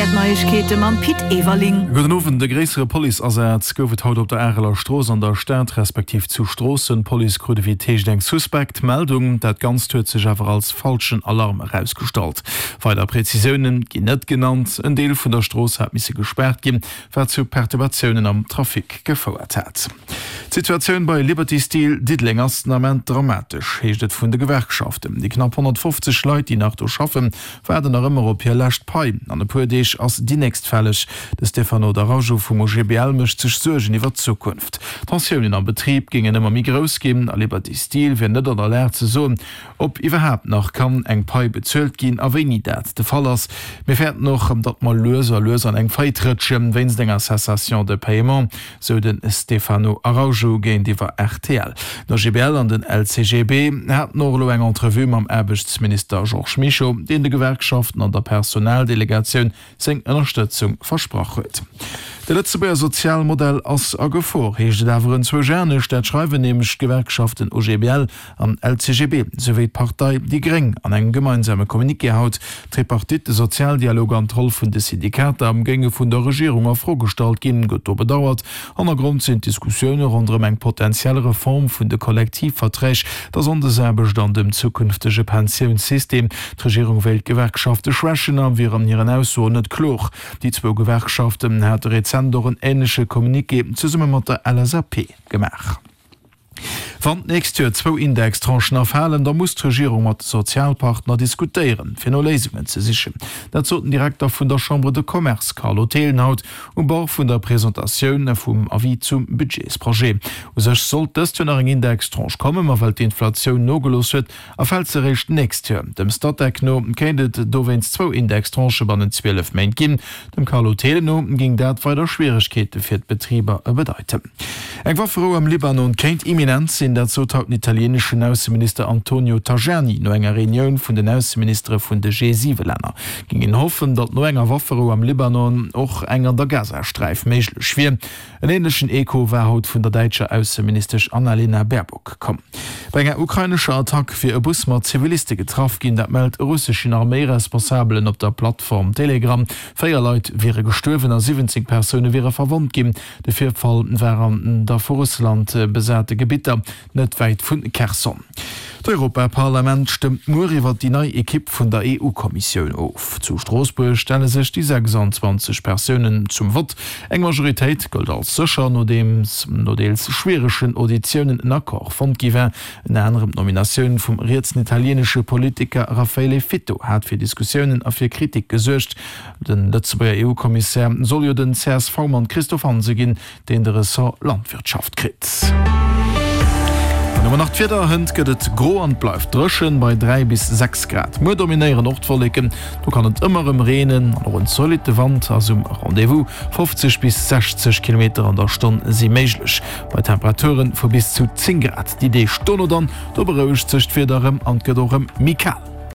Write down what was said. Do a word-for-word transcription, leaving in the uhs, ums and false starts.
R D'Neiegkeete mam Pit Everling. Gudden Owend. E gréissere Policeasaz gouf et haut op der Areler Strooss an der Stad, respektiv zu Stroossen. D'Police krut ewéi et heescht eng suspekt Meldung. Dat Ganzt huet sech awer als falschen Alarm erausgestallt. Weider Prezisioune ginn net genannt. En Deel vun der Strooss hat misse gespaart ginn, wat zu Perturbatiounen am Trafic gefouert hat. D'Situatioun bei Liberty Steel Diddeleng ass den Ament dramatesch, heescht et vun de Gewerkschaften. Déi knapp honnertfofzeg Leit, déi nach do schaffen, waarden nach ëmmer op hir lescht Pai. An e puer Deeg ass déi nächst fälleg. De Stefano D'Araujo vum O G B L mécht sech Suergen iwwer d'Zukunft. D'Tensiounen am Betrib géingen ëmmer méi grouss ginn a Liberty Steel wier net an der Lag ze soen, ob iwwerhaapt nach kann eng Pai bezuelt ginn a wéini dat de Fall ass. Mir fäerten och, datt mer lues a lues an eng Faillite rëtschen, wéinst enger Cessation de paiement, sou de Stefano Araujo géintiwwer R T L. Den O G B L an den L C G B haten och elo eng Entrevue mam Aarbechtsminister Georges Mischo, deen de Gewerkschaften an der Personaldelegatioun seng Ënnerstëtzung versprach huet. De Lëtzebuerger Sozialmodell ass a Gefor, heescht et awer enzwousch anescht. Dat schreiwen nämlech d'Gewerkschaften O G B L an L C G B souwéi d'Partei déi Gréng an engem gemeinsame Communiqué haut. D'Tripartite, de Sozialdialog an d'Roll vun de Syndikater géinge vun der Regierung a Fro gestallt ginn, gëtt do bedauert. Hannergrond sinn d'Diskussioune ronderëm eng potentiell Reform vun de Kollektivverträg, der Sonndesaarbecht an dem zukünftege Pensiounssystem. D'Regierung wéilt d'Gewerkschafte schwächen a wier an hiren Aussoen net kloer. Déi zwou Gewerkschaften hate rezent och en änleche Communiqué zesumme mat der L S A P gemaach. Wann d'nächst Joer zwou Indextranchen erfalen, da muss d'Regierung mat de Sozialpartner diskutéieren, fir no Léisungen ze sichen. Dat sot den Direkter vun der Chambre de Commerce Carlo Thelen haut um Bord vun der Presentatioun vum Avis zum Budgetsprojet. U sech sollt dëst Joer nach eng Indextranche kommen, ma well d'Inflatioun nogelooss huet, erfält se eréischt d'nächst Joer. Dem Statec no kéint et dowéinst zwou Indextranchë bannent zwielef Méint ginn. Dem Carlo Thelen no géing dat weider Schwieregkeete fir d'Betriber bedeiten. Eng Wafferou am Libanon kéint imminent sinn, dat sot haut den italieeneschen Ausseminister Antonio Tajani no enger Reunioun vun den Ausseministere vun de G siwe Länner. Géing een hoffen, datt no enger Wafferou am Libanon och eng an der Gazasträif méiglech wier. En änlechen Echo war haut vun der däitscher Ausseministesch Annalena Baerbock komm. Bei enger ukrainescher Attack wier e Bus mat Ziviliste getraff ginn, dat mellt e russeschen Arméiresponsabelen op der Plattform Telegram. Véier Leit wiere gestuerwen a siwwenzéng Persoune wiere verwonnt ginn. De Virfall war an der vu Russland besate Gebitter net wäit vu Kherson. D'Europaparlament stëmmt muer iwwer déi nei Ekipp vun der E U-Kommissioun of. Zu Stroossbuerg stelle sech déi sechsanzwanzeg Persounen zum Vott. Eng Majoritéit gëllt als sécher, nodeems no deels schwieregen Auditiounen en Accord fonnt gi war. Ënner anerem d'Nominatioun vum rietsen italieenesche Politiker Raffaele Fitto hat fir Diskussiounen a fir Kritik gesuergt. De Lëtzebuerger E U-Kommissär soll jo den C S V-Mann Christophe Hansen ginn, deen de Ressort Landwirtschaft kritt. Dann hu mer nach d'Wieder, Hënt gëtt et gro an et bleift dréchen bei dräi bis sechs Grad. Muer dominéieren och d'Wolleken, do kann et ëmmer erëm reenen an och en zolitte Wand ass um Rendez-vous. fofzeg bis sechzeg Kilometer an der Stonn si méiglech bei Temperature vu bis zu zéng Grad. Déi Deeg dono dann, do berouegt sech d'Wieder erëm an et gëtt och erëm méi kal.